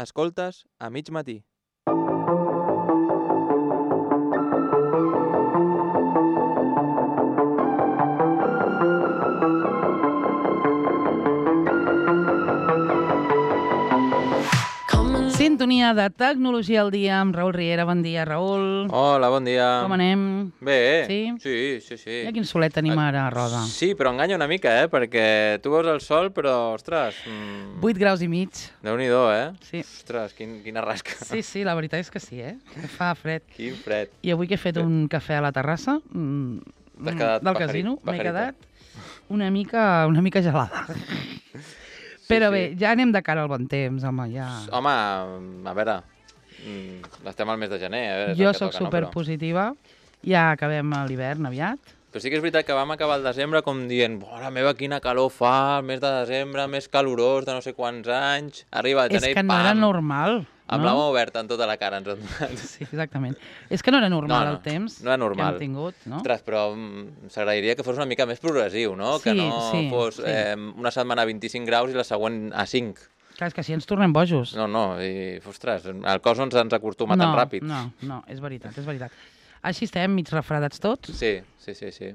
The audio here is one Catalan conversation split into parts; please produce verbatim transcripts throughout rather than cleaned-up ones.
escoltes a mig matí. Sintonia de Tecnologia al dia amb Raül Riera. Bon dia, Raül. Hola, bon dia. Com anem? Bé. Sí? Sí, sí, sí. Mira quin solet tenim ara a Roda. Sí, però enganya una mica, eh? Perquè tu veus el sol, però, ostres... Mm, vuit graus i mig. Déu-n'hi-do, eh? Sí. Ostres, quin, quina rasca. Sí, sí, la veritat és que sí, eh? Fa fred. Quin fred. I avui que he fet un cafè a la terrassa mm, T'has quedat del pajarit, casino, m'he pajarita. quedat una mica, una mica gelada. Però sí. bé, ja anem de cara al bon temps, home, ja... Home, a veure, mm, estem al mes de gener. A veure, és Jo el que sóc toca, no? superpositiva, ja acabem l'hivern aviat. Però sí que és veritat que vam acabar el desembre com dient «Bona meva, quina calor fa, el mes de desembre, més calorós de no sé quants anys». Arriba el És gener i que no pam! era normal, Amb no? la mà oberta en tota la cara ens han donat. Sí, exactament. És que no era normal No, no, el temps no era normal. que hem tingut, no? Ostres, però mm, s'agrairia que fos una mica més progressiu, no? Sí, que no sí, fos sí. eh, una setmana a vint-i-cinc graus i la següent a cinc. Clar, és que si ens tornem bojos. No, no, i, ostres, el cos ens ens acostuma no, tan ràpid. No, no, és veritat, és veritat. Així estem, mig refredats tots. Sí, sí, sí, sí.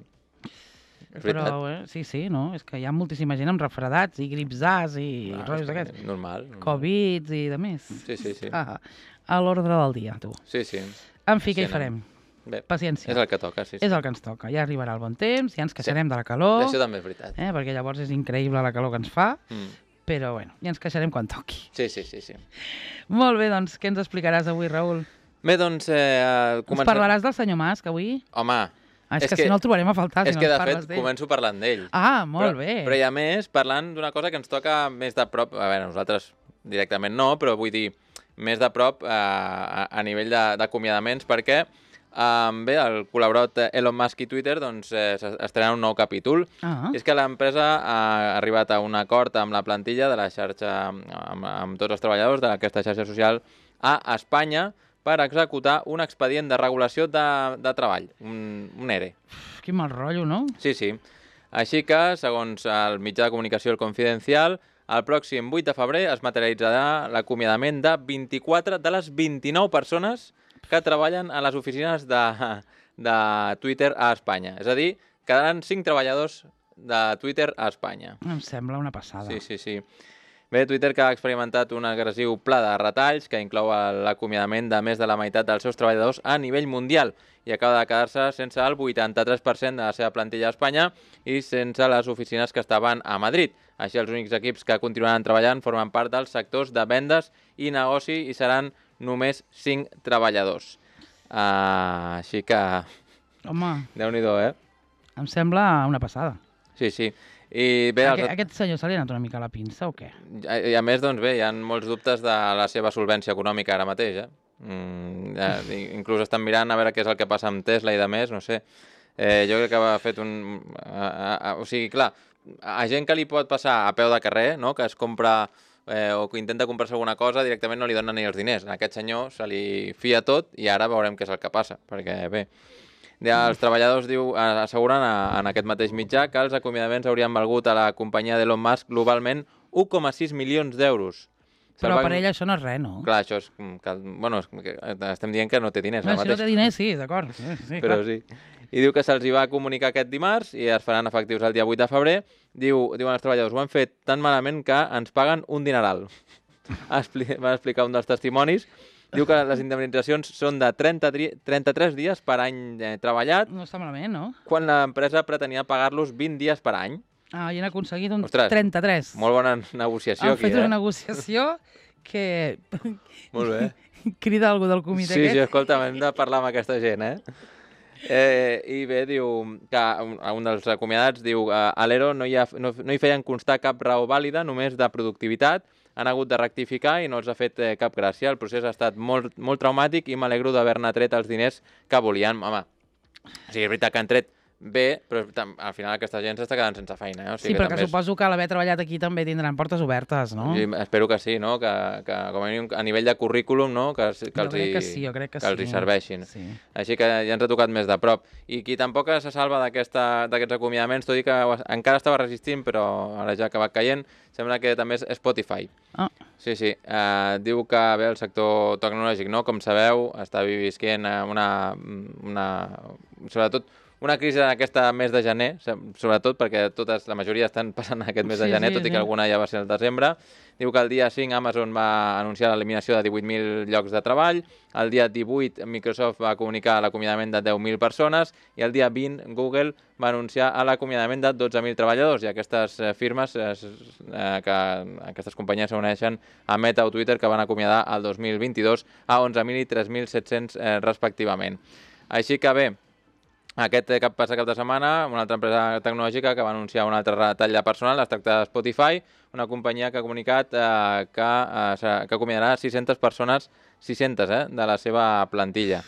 És Però, veritat. eh, sí, sí, no? És que hi ha moltíssima gent amb refredats i grips A's i Ah, rotllos és que d'aquests. Normal. normal. Covids i de més. Sí, sí, sí. Ah, a l'ordre del dia, tu. Sí, sí. En fi, Sí, què hi no. farem? Bé, Paciència. és el que toca, sí, sí. És el que ens toca. Ja arribarà el bon temps, ja ens queixarem de la calor, Això també és veritat. eh? perquè llavors és increïble la calor que ens fa, Mm. però bueno, ja ens queixarem quan toqui. Sí, sí, sí, sí. Molt bé, doncs, què ens explicaràs avui, Raül? Bé, doncs, eh, Ens parlaràs del senyor Mas, que avui... Home, Ah, és, És que, que- si no el trobarem a faltar, és si que no de ens fet parles d'ell. començo parlant d'ell. Ah, molt però, bé. Però i a més, parlant d'una cosa que ens toca més de prop, a veure, nosaltres directament no, però vull dir, més de prop eh, a, a nivell de- d'acomiadaments, perquè eh, bé, el col·laborat Elon Musk i Twitter doncs, eh, estrenen un nou capítol. Ah, I és que l'empresa ha arribat a un acord amb la plantilla de la xarxa, amb, amb tots els treballadors d'aquesta xarxa social a Espanya per executar un expedient de regulació de, de treball, un, un E R E. uf, quin mal rotllo, no? Sí, sí. Així que, segons el mitjà de comunicació El Confidencial, el pròxim vuit de febrer es materialitzarà l'acomiadament de vint-i-quatre de les vint-i-nou persones que treballen a les oficines de, de Twitter a Espanya. És a dir, quedaran cinc treballadors de Twitter a Espanya. Em sembla una passada. Sí, sí, sí. Bé, Twitter que ha experimentat un agressiu pla de retalls que inclou l'acomiadament de més de la meitat dels seus treballadors a nivell mundial i acaba de quedar-se sense el vuitanta-tres per cent de la seva plantilla a Espanya i sense les oficines que estaven a Madrid. Així, els únics equips que continuaran treballant formen part dels sectors de vendes i negoci i seran només cinc treballadors. Uh, així que, Home, Déu-n'hi-do, eh? em sembla una passada. Sí, sí. I bé, Aqu els... Aquest senyor se li ha anat una mica a la pinça o què? I a més, doncs bé, hi ha molts dubtes de la seva solvència econòmica ara mateix, eh? Mm, ja, inclús estan mirant a veure què és el que passa amb Tesla i de més, no sé. Eh, jo crec que ha fet un... A, a, a, o sigui, clar, a gent que li pot passar a peu de carrer, no?, que es compra eh, o que intenta comprar-se alguna cosa, directament no li donen ni els diners. A aquest senyor se li fia tot i ara veurem què és el que passa, perquè bé... Ja, els treballadors diu, asseguren a, en aquest mateix mitjà que els acomiadaments haurien valgut a la companyia d'Elon Musk globalment un coma sis milions d'euros. Però per ell això no és res, no? Clar, això és... Que, bueno, és que estem dient que no té diners. No, ara si no mateix. té diners, sí, d'acord. Sí, sí, Però clar. sí. I diu que se'ls hi va comunicar aquest dimarts i es faran efectius el dia vuit de febrer. Diu, diuen els treballadors, ho han fet tan malament que ens paguen un dineral. Expli va explicar un dels testimonis. Diu que les indemnitzacions són de trenta, trenta-tres dies per any eh, treballat, No està malament, no? quan l'empresa pretenia pagar-los vint dies per any. Ah, i han aconseguit un Ostres, trenta-tres. Molt bona negociació Han aquí, fet eh? una negociació que Molt bé. crida algú del comitè Sí, sí, aquest. escolta, hem de parlar amb aquesta gent, eh? eh I bé, diu que un, un dels acomiadats diu a l'E R O no, hi ha, no, no hi feien constar cap raó vàlida, només de productivitat, han hagut de rectificar i no els ha fet eh, cap gràcia. El procés ha estat molt, molt traumàtic i m'alegro d'haver-ne tret els diners que volien. Home, o sigui, és veritat que han tret bé, però al final aquesta gent s'està quedant sense feina. Eh? O sigui sí, que perquè també suposo que a l'haver treballat aquí també tindran portes obertes, no? Jo espero que sí, no? Que, que com a mínim a nivell de currículum, no? Que, que, jo els, crec hi, que sí, jo crec que, que els sí. hi serveixin. Sí. Així que ja ens ha tocat més de prop. I qui tampoc se salva d'aquests acomiadaments, tot i que encara estava resistint, però ara ja ha acabat caient, sembla que també és Spotify. Ah. Sí, sí. Uh, diu que bé, el sector tecnològic, no? Com sabeu, està visquent una, una... sobretot una crisi d'aquesta mes de gener, sobretot perquè totes, la majoria estan passant aquest mes de gener, sí, sí, tot i que sí. alguna ja va ser el desembre. Diu que el dia cinc Amazon va anunciar l'eliminació de divuit mil llocs de treball, el dia divuit Microsoft va comunicar l'acomiadament de deu mil persones i el dia vint Google va anunciar l'acomiadament de dotze mil treballadors, i aquestes firmes, eh, que aquestes companyies s'uneixen a Meta o Twitter, que van acomiadar el dos mil vint-i-dos a onze mil i tres mil set-cents eh, respectivament. Així que bé, aquest cap passa cap de setmana, una altra empresa tecnològica que va anunciar un altre retall de personal, es tracta de Spotify, una companyia que ha comunicat eh, que, eh, que acomiadarà sis-centes persones, sis-centes, eh, de la seva plantilla.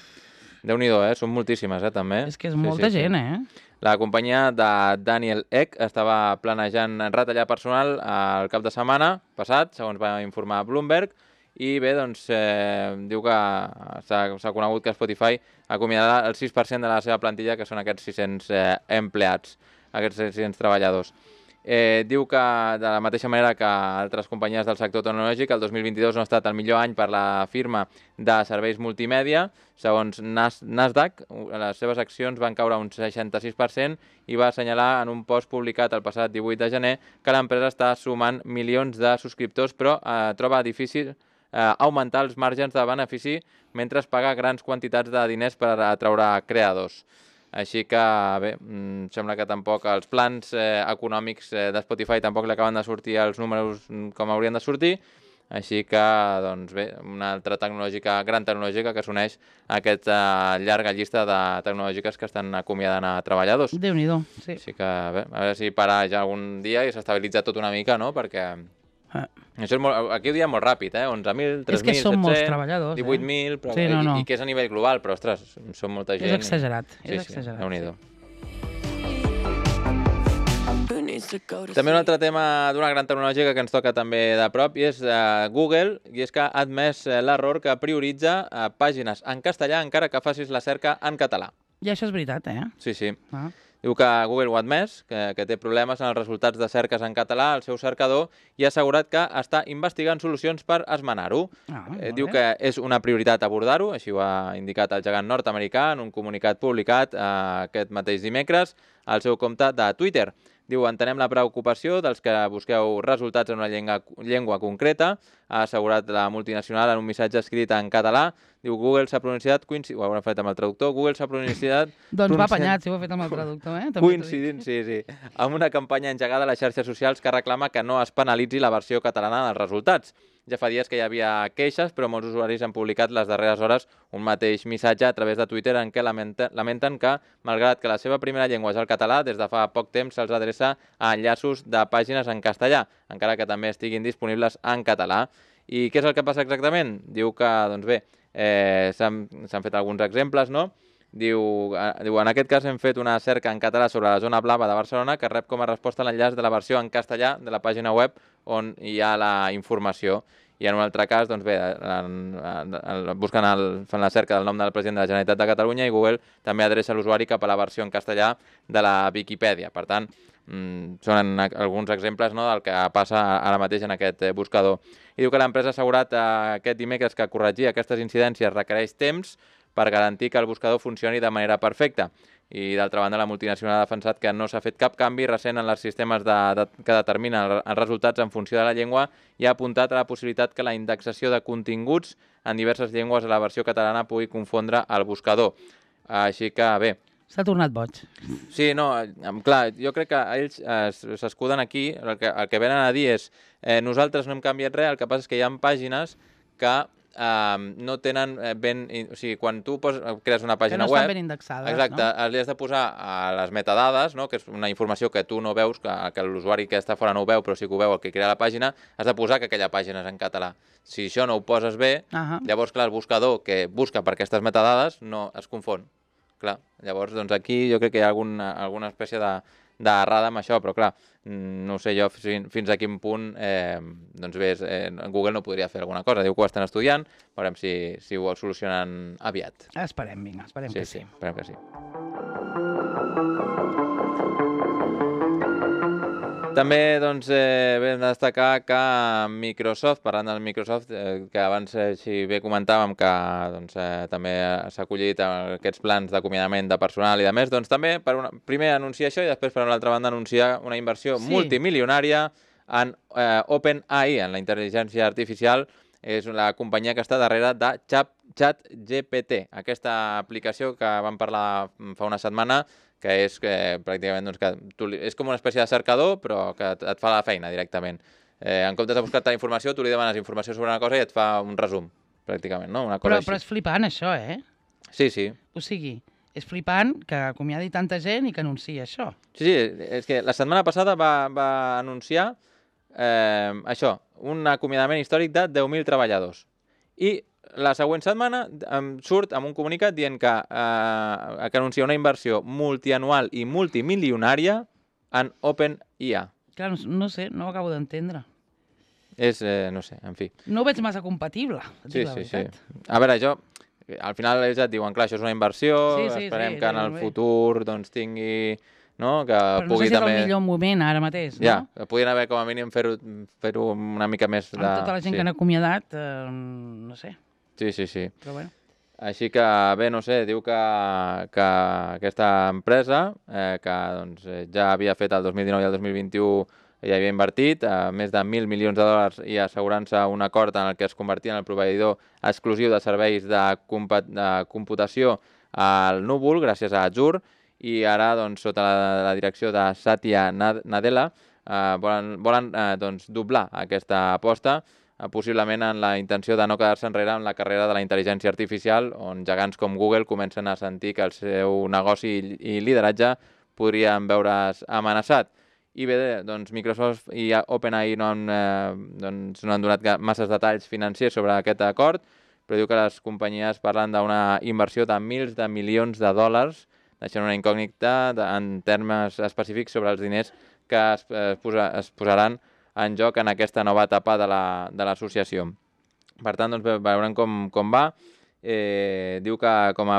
Déu-n'hi-do, eh? Són moltíssimes, eh, també. És que és molta sí, sí, gent, sí. eh? La companyia de Daniel Ek estava planejant retallar personal el cap de setmana passat, segons va informar Bloomberg, i bé, doncs, eh, diu que s'ha conegut que Spotify acomiadarà el sis per cent de la seva plantilla, que són aquests sis-cents eh, empleats, aquests sis-cents treballadors. Eh, diu que, de la mateixa manera que altres companyies del sector tecnològic, el dos mil vint-i-dos no ha estat el millor any per la firma de serveis multimèdia. Segons Nas Nasdaq, les seves accions van caure un seixanta-sis per cent i va assenyalar en un post publicat el passat divuit de gener que l'empresa està sumant milions de subscriptors, però eh, troba difícil eh, augmentar els marges de benefici mentre es paga grans quantitats de diners per atraure creadors. Així que, bé, sembla que tampoc els plans eh, econòmics eh, de Spotify tampoc li acaben de sortir els números com haurien de sortir. Així que, doncs bé, una altra tecnològica, gran tecnològica que s'uneix a aquesta llarga llista de tecnològiques que estan acomiadant a treballadors. Déu-n'hi-do, sí. Així que, bé, a veure si para ja algun dia i s'estabilitza tot una mica, no?, perquè... Ah. Això és molt, aquí ho diem molt ràpid, eh? onze mil, tres mil, set cents, divuit mil, però, sí, no, no. I, i que és a nivell global, però, ostres, són molta gent. És exagerat, i... és sí, exagerat. Sí, Déu-n'hi-do. També un altre tema d'una gran tecnologia que ens toca també de prop i és uh, Google, i és que ha admès uh, l'error que prioritza uh, pàgines en castellà encara que facis la cerca en català. I això és veritat, eh? Sí, sí. Ah. Diu que Google ho ha admès, que, que té problemes en els resultats de cerques en català al seu cercador i ha assegurat que està investigant solucions per esmenar-ho. Ah, eh, diu que és una prioritat abordar-ho, així ho ha indicat el gegant nord-americà en un comunicat publicat eh, aquest mateix dimecres al seu compte de Twitter. Diu, entenem la preocupació dels que busqueu resultats en una llengua, llengua concreta, ha assegurat la multinacional en un missatge escrit en català. Diu, Google s'ha pronunciat, coincidint, ho haurà fet amb el traductor, Google s'ha pronunciat... doncs va apanyat, si ho ha fet amb el traductor, eh? Coincidint, sí, sí, amb una campanya engegada a les xarxes socials que reclama que no es penalitzi la versió catalana dels resultats. Ja fa dies que hi havia queixes, però molts usuaris han publicat les darreres hores un mateix missatge a través de Twitter en què lamenta, lamenten que, malgrat que la seva primera llengua és el català, des de fa poc temps se'ls adreça a enllaços de pàgines en castellà, encara que també estiguin disponibles en català. I què és el que passa exactament? Diu que, doncs bé, eh, s'han fet alguns exemples, no? Diu, eh, diu, en aquest cas hem fet una cerca en català sobre la zona blava de Barcelona que rep com a resposta l'enllaç de la versió en castellà de la pàgina web on hi ha la informació. I en un altre cas, doncs bé, en, en, en, busquen el, fan la cerca del nom del president de la Generalitat de Catalunya i Google també adreça l'usuari cap a la versió en castellà de la Viquipèdia. Per tant, mmm, són alguns exemples, no, del que passa ara mateix en aquest eh, buscador. I diu que l'empresa ha assegurat eh, aquest dimecres que corregir aquestes incidències requereix temps per garantir que el buscador funcioni de manera perfecta. I, d'altra banda, la multinacional ha defensat que no s'ha fet cap canvi recent en els sistemes de, de, que determinen els resultats en funció de la llengua i ha apuntat a la possibilitat que la indexació de continguts en diverses llengües a la versió catalana pugui confondre el buscador. Així que, bé... S'ha tornat boig. Sí, no, clar, jo crec que ells s'escuden aquí, el que, el que venen a dir és eh, nosaltres no hem canviat res, el que passa és que hi ha pàgines que Uh, no tenen ben... O sigui, quan tu pos, crees una pàgina web... Que no estan ben indexades, exacte, no? Li has de posar a les metadades, no? Que és una informació que tu no veus, que, que l'usuari que està fora no ho veu, però sí que ho veu el que crea la pàgina, has de posar que aquella pàgina és en català. Si això no ho poses bé, uh -huh. llavors, clar, el buscador que busca per aquestes metadades no es confon. clar. Llavors, doncs aquí jo crec que hi ha alguna, alguna espècie de d'errada amb això, però clar, no sé jo fins, fins a quin punt eh, doncs bé, eh, Google no podria fer alguna cosa. Diu que ho estan estudiant, veurem si, si ho solucionen aviat. Esperem, vinga, esperem sí, que sí. Sí, esperem que sí. També doncs, eh, vam destacar que Microsoft, parlant del Microsoft, eh, que abans eh, si bé comentàvem que doncs, eh, també s'ha acollit aquests plans d'acomiadament de personal i de més, doncs també per una, primer anunciar això i després per una altra banda anunciar una inversió Sí. multimilionària en eh, OpenAI, en la intel·ligència artificial. És la companyia que està darrere de ChatGPT, aquesta aplicació que vam parlar fa una setmana, que és que pràcticament doncs, que tu, és com una espècie de cercador, però que et, et fa la feina directament. Eh, en comptes de buscar-te informació, tu li demanes informació sobre una cosa i et fa un resum, pràcticament, no? Una cosa Però, així. però és flipant, això, eh? Sí, sí. O sigui, és flipant que acomiadi tanta gent i que anunciï això. Sí, sí, és que la setmana passada va, va anunciar eh, això, un acomiadament històric de deu mil treballadors. I la següent setmana em surt amb un comunicat dient que, eh, que anuncia una inversió multianual i multimilionària en OpenAI. Clar, no, no sé, no ho acabo d'entendre. És, eh, no sé, en fi. No ho veig massa compatible, et Sí, dic la sí, sí. veritat. A veure, jo, al final ells et diuen, clar, això és una inversió, Sí, sí, esperem sí, que en sí, el bé. futur doncs tingui, no?, que Però no pugui sé si és també... el millor moment ara mateix, no? Ja, que podien haver com a mínim fer-ho fer-ho una mica més de... Amb tota la gent sí. que han acomiadat, eh, no sé, Sí, sí, sí. però bueno. Així que, bé, no sé, diu que, que aquesta empresa, eh, que doncs, eh, ja havia fet el dos mil dinou i el dos mil vint-i-u, ja havia invertit eh, més de mil milions de dòlars i assegurant-se un acord en el que es convertia en el proveïdor exclusiu de serveis de, de computació al núvol, gràcies a Azure, i ara, doncs, sota la, la direcció de Satya Nadella, eh, volen, volen eh, doncs, doblar aquesta aposta, possiblement en la intenció de no quedar-se enrere en la carrera de la intel·ligència artificial, on gegants com Google comencen a sentir que el seu negoci i lideratge podrien veure's amenaçat. I bé, doncs Microsoft i OpenAI no han, eh, doncs, no han donat masses detalls financers sobre aquest acord, però diu que les companyies parlen d'una inversió de mils de milions de dòlars, deixant una incògnita de, en termes específics sobre els diners que es, es, posa, es posaran en joc en aquesta nova etapa de l'associació. La, per tant, doncs, veurem com, com va. Eh, diu que com a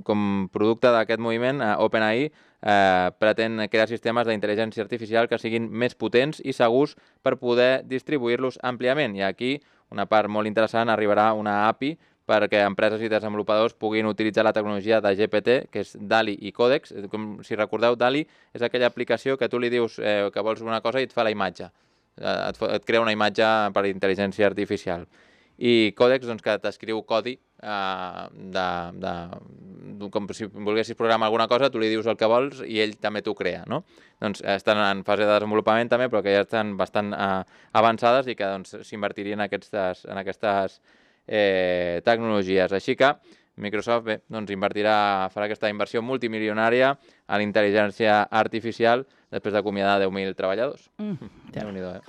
com producte d'aquest moviment, eh, OpenAI eh, pretén crear sistemes d'intel·ligència artificial que siguin més potents i segurs per poder distribuir-los àmpliament. I aquí, una part molt interessant, arribarà una A P I perquè empreses i desenvolupadors puguin utilitzar la tecnologia de G P T, que és DALL-E i Codex. Com, si recordeu, DALL-E és aquella aplicació que tu li dius eh, que vols una cosa i et fa la imatge. Et, et crea una imatge per intel·ligència artificial. I Codex, doncs, que t'escriu codi eh, de, de, com si volguessis programar alguna cosa, tu li dius el que vols i ell també t'ho crea, no? Doncs estan en fase de desenvolupament també, però que ja estan bastant eh, avançades i que doncs, s'invertirien en aquestes, en aquestes eh, tecnologies. Així que Microsoft bé, doncs, invertirà, farà aquesta inversió multimilionària a la intel·ligència artificial després d'acomiadar deu mil treballadors. Mm, ja. Déu-n'hi-do, eh?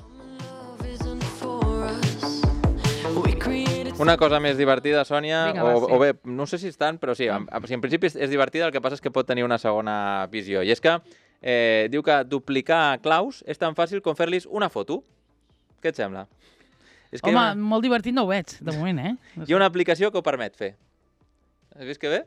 Una cosa més divertida, Sònia, Vinga, o, va, sí. o bé, no sé si és tant, però sí, en, en principi és, és divertida, el que passa és que pot tenir una segona visió. I és que eh, diu que duplicar claus és tan fàcil com fer-los una foto. Què et sembla? És que Home, hi ha una, molt divertit no ho veig, de moment, eh? No hi ha una aplicació que ho permet fer. Has vist que bé?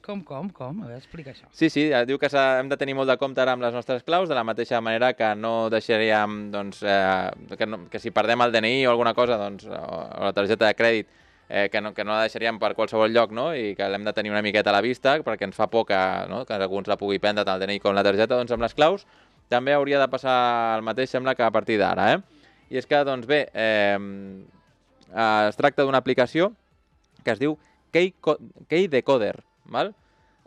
Com, com, com? A veure, explica això. Sí, sí, diu que hem de tenir molt de compte ara amb les nostres claus, de la mateixa manera que no deixaríem, doncs, eh, que, no, que si perdem el D N I o alguna cosa, doncs, o, o la targeta de crèdit, eh, que, no, que no la deixaríem per qualsevol lloc, no?, i que l'hem de tenir una miqueta a la vista, perquè ens fa por que, no?, que algú ens la pugui prendre tant el D N I com la targeta, doncs amb les claus també hauria de passar el mateix, sembla que a partir d'ara, eh? I és que, doncs bé, eh, es tracta d'una aplicació que es diu Keydecoder, val?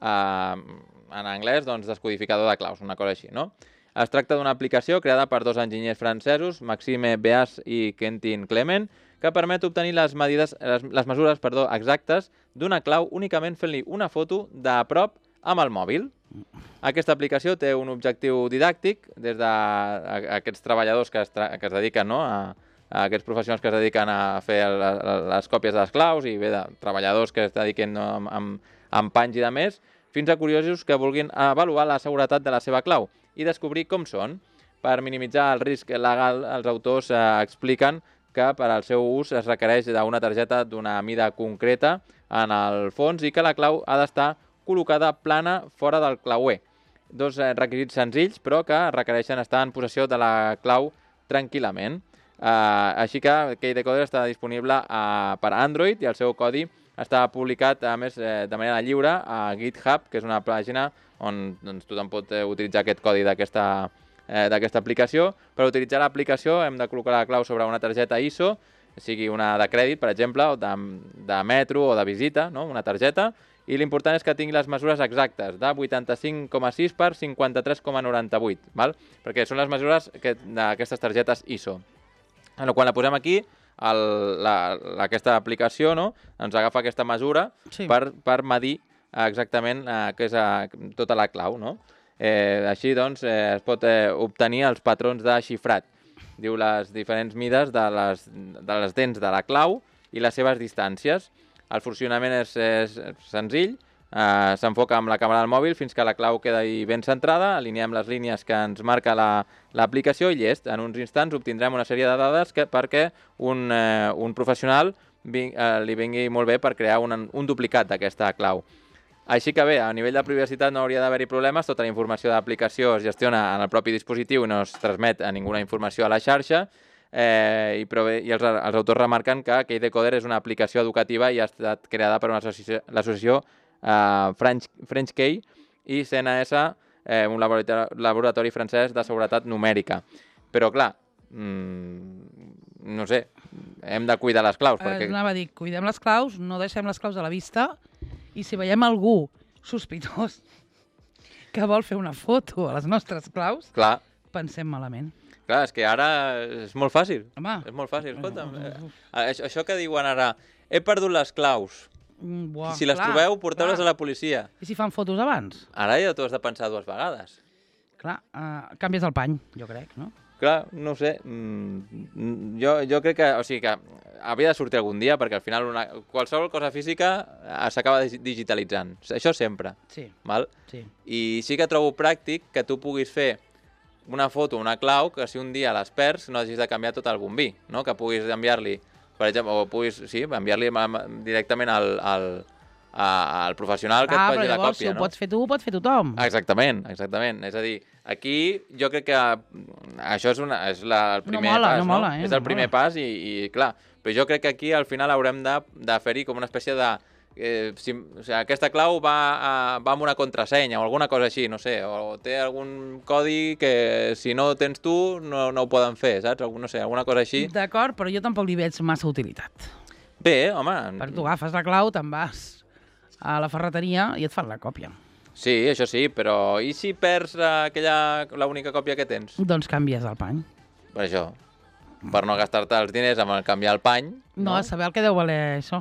Uh, en anglès, doncs, descodificador de claus, una cosa així, no? Es tracta d'una aplicació creada per dos enginyers francesos, Maxime Beas i Quentin Clement, que permet obtenir les, medides, les, les mesures perdó, exactes d'una clau únicament fent-li una foto de prop amb el mòbil. Aquesta aplicació té un objectiu didàctic des d'aquests treballadors que es, tra que es dediquen, no?, a, a aquests professionals que es dediquen a fer les, les còpies de les claus i bé, de treballadors que es dediquen, no?, amb, amb, amb panys i de més, fins a curiosos que vulguin avaluar la seguretat de la seva clau i descobrir com són. Per minimitzar el risc legal, els autors eh, expliquen que per al seu ús es requereix d'una targeta d'una mida concreta en el fons i que la clau ha d'estar col·locada plana fora del clauer. Dos eh, requisits senzills, però que requereixen estar en possessió de la clau tranquil·lament. Uh, així que KeyDecoder està disponible uh, per Android i el seu codi està publicat, a més, eh, de manera lliure a GitHub, que és una pàgina on doncs, tothom pot eh, utilitzar aquest codi d'aquesta eh, d'aquesta aplicació. Per utilitzar l'aplicació hem de col·locar la clau sobre una targeta I S O, sigui una de crèdit, per exemple, o de, de metro o de visita, no? Una targeta, i l'important és que tingui les mesures exactes, de vuitanta-cinc coma sis per cinquanta-tres coma noranta-vuit, val? Perquè són les mesures d'aquestes targetes I S O. Bueno, quan la posem aquí, el, la, aquesta aplicació, no? Ens agafa aquesta mesura Sí. per, per medir exactament eh, què és eh, tota la clau, no? Eh, així, doncs, eh, es pot eh, obtenir els patrons de xifrat. Diu les diferents mides de les, de les dents de la clau i les seves distàncies. El funcionament és, és senzill, eh, s'enfoca amb la càmera del mòbil fins que la clau queda ben centrada, alineem les línies que ens marca l'aplicació la, i llest. En uns instants obtindrem una sèrie de dades que, perquè un, eh, un professional ving, eh, li vingui molt bé per crear un, un duplicat d'aquesta clau. Així que bé, a nivell de privacitat no hauria d'haver-hi problemes, tota la informació de l'aplicació es gestiona en el propi dispositiu i no es transmet a ninguna informació a la xarxa, eh, i, però bé, i els, els autors remarquen que KeyDecoder és una aplicació educativa i ha estat creada per l'associació eh, French, French Key i C N S, eh, un laboratori, laboratori francès de seguretat numèrica. Però clar, mmm, no sé, hem de cuidar les claus. Eh, perquè... Anava a dir, cuidem les claus, no deixem les claus a la vista, i si veiem algú sospitós que vol fer una foto a les nostres claus, Clar, pensem malament. clar, és que ara és molt fàcil. Home. És molt fàcil, escolta'm. Eh, això, això que diuen ara, he perdut les claus. Mm, buah, Si les clar, trobeu, porteu-les a clar. la policia. I si fan fotos abans? Ara ja t'ho has de pensar dues vegades. Clar, uh, canvies el pany, jo crec, no? Clar, no ho sé. Mm, jo, jo crec que, o sigui que havia de sortir algun dia perquè al final una, qualsevol cosa física eh, s'acaba digitalitzant. Això sempre. Sí, Val? sí. I sí que trobo pràctic que tu puguis fer una foto, una clau, que si un dia les perds no hagis de canviar tot el bombí, no? Que puguis enviar-li, per exemple, o puguis, sí, enviar-li directament al, al, a, al professional que ah, et faci la llavors, còpia, si ho no? pots fer tu, ho pot fer tothom. Exactament, exactament. És a dir, aquí jo crec que això és, una, és la, el primer no mola, pas, no mola, eh? És el no primer mola. pas i, i clar, però jo crec que aquí al final haurem de, de fer-hi com una espècie de... Eh, si, o sigui, aquesta clau va, a, va amb una contrasenya o alguna cosa així, no sé, o té algun codi que si no tens tu no, no ho poden fer, saps? Algun, no sé, alguna cosa així. D'acord, però jo tampoc li veig massa utilitat. Bé, home... Perquè tu agafes la clau, te'n vas a la ferreteria i et fan la còpia. Sí, això sí, però i si perds aquella, l'única còpia que tens? Doncs canvies el pany. Per això, per no gastar-te els diners amb el canviar el pany. No, a saber el que deu valer això.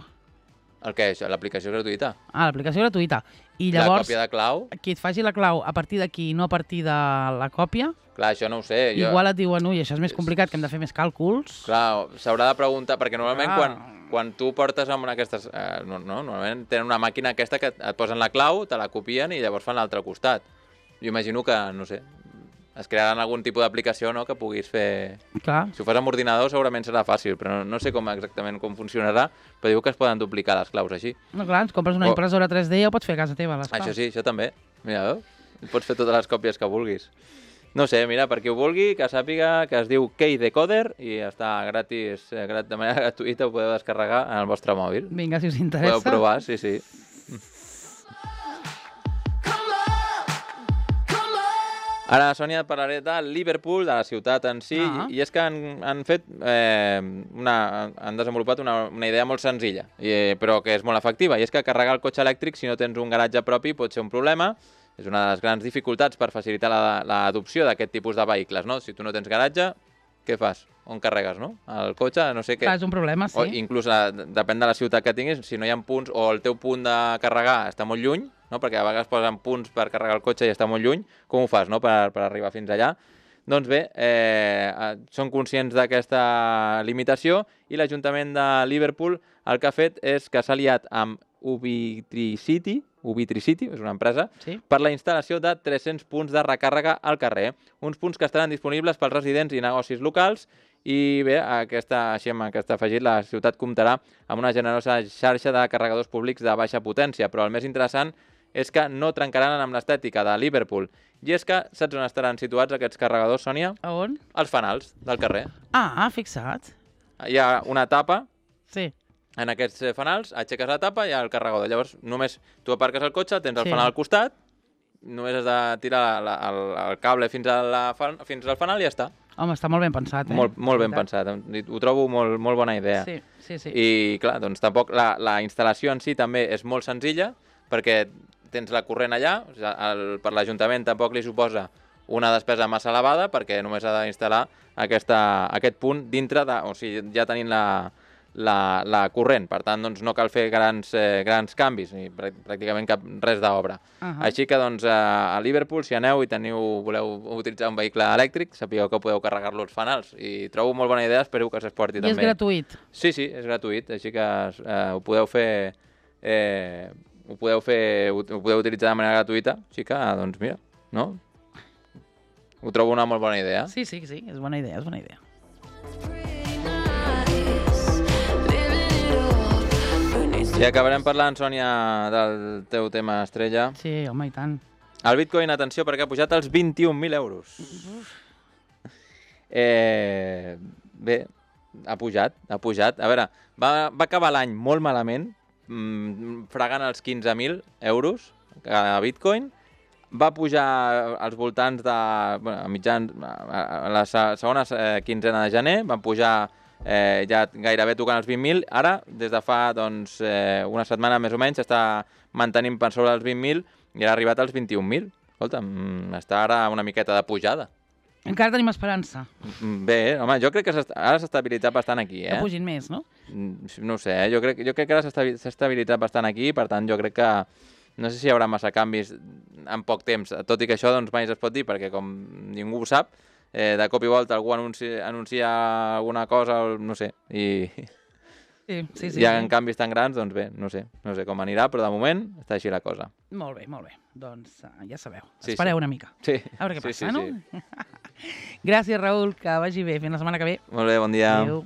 El què? Això, l'aplicació gratuïta? Ah, l'aplicació gratuïta. I La llavors, còpia de clau? qui et faci la clau a partir d'aquí i no a partir de la còpia, Clar, això no ho sé. Jo... igual et diuen, ui, això és més complicat, que hem de fer més càlculs. Clar, s'haurà de preguntar, perquè normalment Clar. quan, quan tu portes amb una d'aquestes... Eh, no, no, normalment tenen una màquina aquesta que et posen la clau, te la copien i llavors fan l'altre costat. Jo imagino que, no sé, es crearan algun tipus d'aplicació, no?, que puguis fer... Clar. Si ho fas amb ordinador segurament serà fàcil, però no, no sé com exactament com funcionarà, però diu que es poden duplicar les claus així. No, clar, ens compres una Oh. impressora tres D i ho pots fer a casa teva, les claus. Això sí, això també. Mira, veu? Pots fer totes les còpies que vulguis. No sé, mira, per qui ho vulgui, que sàpiga que es diu KeyDecoder i està gratis, eh, grat, de manera gratuïta, ho podeu descarregar en el vostre mòbil. Vinga, si us interessa. Podeu provar, sí, sí. Ara, Sònia, et parlaré de Liverpool, de la ciutat en si, Ah. i, i és que han, han fet eh, una, han desenvolupat una, una idea molt senzilla, i, però que és molt efectiva, i és que carregar el cotxe elèctric si no tens un garatge propi pot ser un problema. És una de les grans dificultats per facilitar l'adopció d'aquest tipus de vehicles, no? Si tu no tens garatge, què fas? On carregues, no? El cotxe, no sé què. Clar, és un problema, sí. O inclús, eh, depèn de la ciutat que tinguis, si no hi ha punts, o el teu punt de carregar està molt lluny, no? Perquè a vegades posen punts per carregar el cotxe i està molt lluny, com ho fas, no?, per, per arribar fins allà? Doncs bé, eh, són conscients d'aquesta limitació i l'Ajuntament de Liverpool el que ha fet és que s'ha aliat amb Ubitricity, Ubitricity, és una empresa, Sí. per la instal·lació de tres-cents punts de recàrrega al carrer. Uns punts que estaran disponibles pels residents i negocis locals i bé, aquesta, així amb aquest afegit, la ciutat comptarà amb una generosa xarxa de carregadors públics de baixa potència, però el més interessant és que no trencaran amb l'estètica de Liverpool. I és que saps on estaran situats aquests carregadors, Sònia? A on? Als fanals del carrer. Ah, fixa't. Hi ha una tapa Sí. en aquests eh, fanals, aixeques la tapa i hi ha el carregador. Llavors, només tu aparques el cotxe, tens el Sí. fanal al costat, només has de tirar la, el, el cable fins, a la, fan- fins al fanal i ja està. Home, està molt ben pensat, eh? Molt, molt ben Veritat. pensat. Ho trobo molt, molt bona idea. Sí, sí, sí. I, clar, doncs tampoc la, la instal·lació en si també és molt senzilla, perquè tens la corrent allà, o sigui, el, per l'Ajuntament tampoc li suposa una despesa massa elevada, perquè només ha d'instal·lar aquesta, aquest punt dintre de... O sigui, ja tenint la, la, la corrent. Per tant, doncs, no cal fer grans, eh, grans canvis, ni pràct- pràcticament cap, res d'obra. Uh -huh. Així que, doncs, a, a Liverpool, si aneu i teniu, voleu utilitzar un vehicle elèctric, sapigueu que podeu carregar-lo als fanals. I trobo molt bona idea, espero que s'exporti I també. és gratuït. Sí, sí, és gratuït, així que eh, ho podeu fer... Eh, ho podeu fer, ho, ho podeu utilitzar de manera gratuïta, així que, doncs, mira, no? Ho trobo una molt bona idea. Sí, sí, sí, és bona idea, és bona idea. I acabarem parlant, Sònia, del teu tema estrella. Sí, home, i tant. El Bitcoin, atenció, perquè ha pujat als vint-i-un mil euros. Eh, bé, ha pujat, ha pujat. A veure, va, va acabar l'any molt malament, mmm, fregant els quinze mil euros a Bitcoin. Va pujar als voltants de... Bueno, a mitjans, a la se- segona eh, quinzena de gener, van pujar eh, ja gairebé tocant els vint mil. Ara, des de fa doncs, eh, una setmana més o menys, s'està mantenint per sobre dels vint mil i ara ha arribat als vint-i-un mil. Escolta, mm, està ara una miqueta de pujada. Encara tenim esperança Mm, Bé, home, jo crec que s'est- ara s'ha estabilitzat bastant aquí, que eh? pugin més, no? Mm, No ho sé, eh? jo crec, jo crec que ara s'ha estabi- s'ha estabilitzat bastant aquí, per tant jo crec que no sé si hi haurà massa canvis en poc temps, tot i que això doncs mai es pot dir, perquè com ningú ho sap, eh, de cop i volta algú anuncia, anuncia alguna cosa, o no sé, i Sí, sí, sí. hi ha sí. canvis tan grans, doncs bé, no sé, no sé com anirà, però de moment està així la cosa. Molt bé, molt bé. Doncs uh, ja sabeu, Sí, espereu sí. una mica. Sí, A veure què sí, passa, sí, no? sí. Gràcies, Raül, que vagi bé. Fins la setmana que ve. Molt bé, bon dia. Adéu.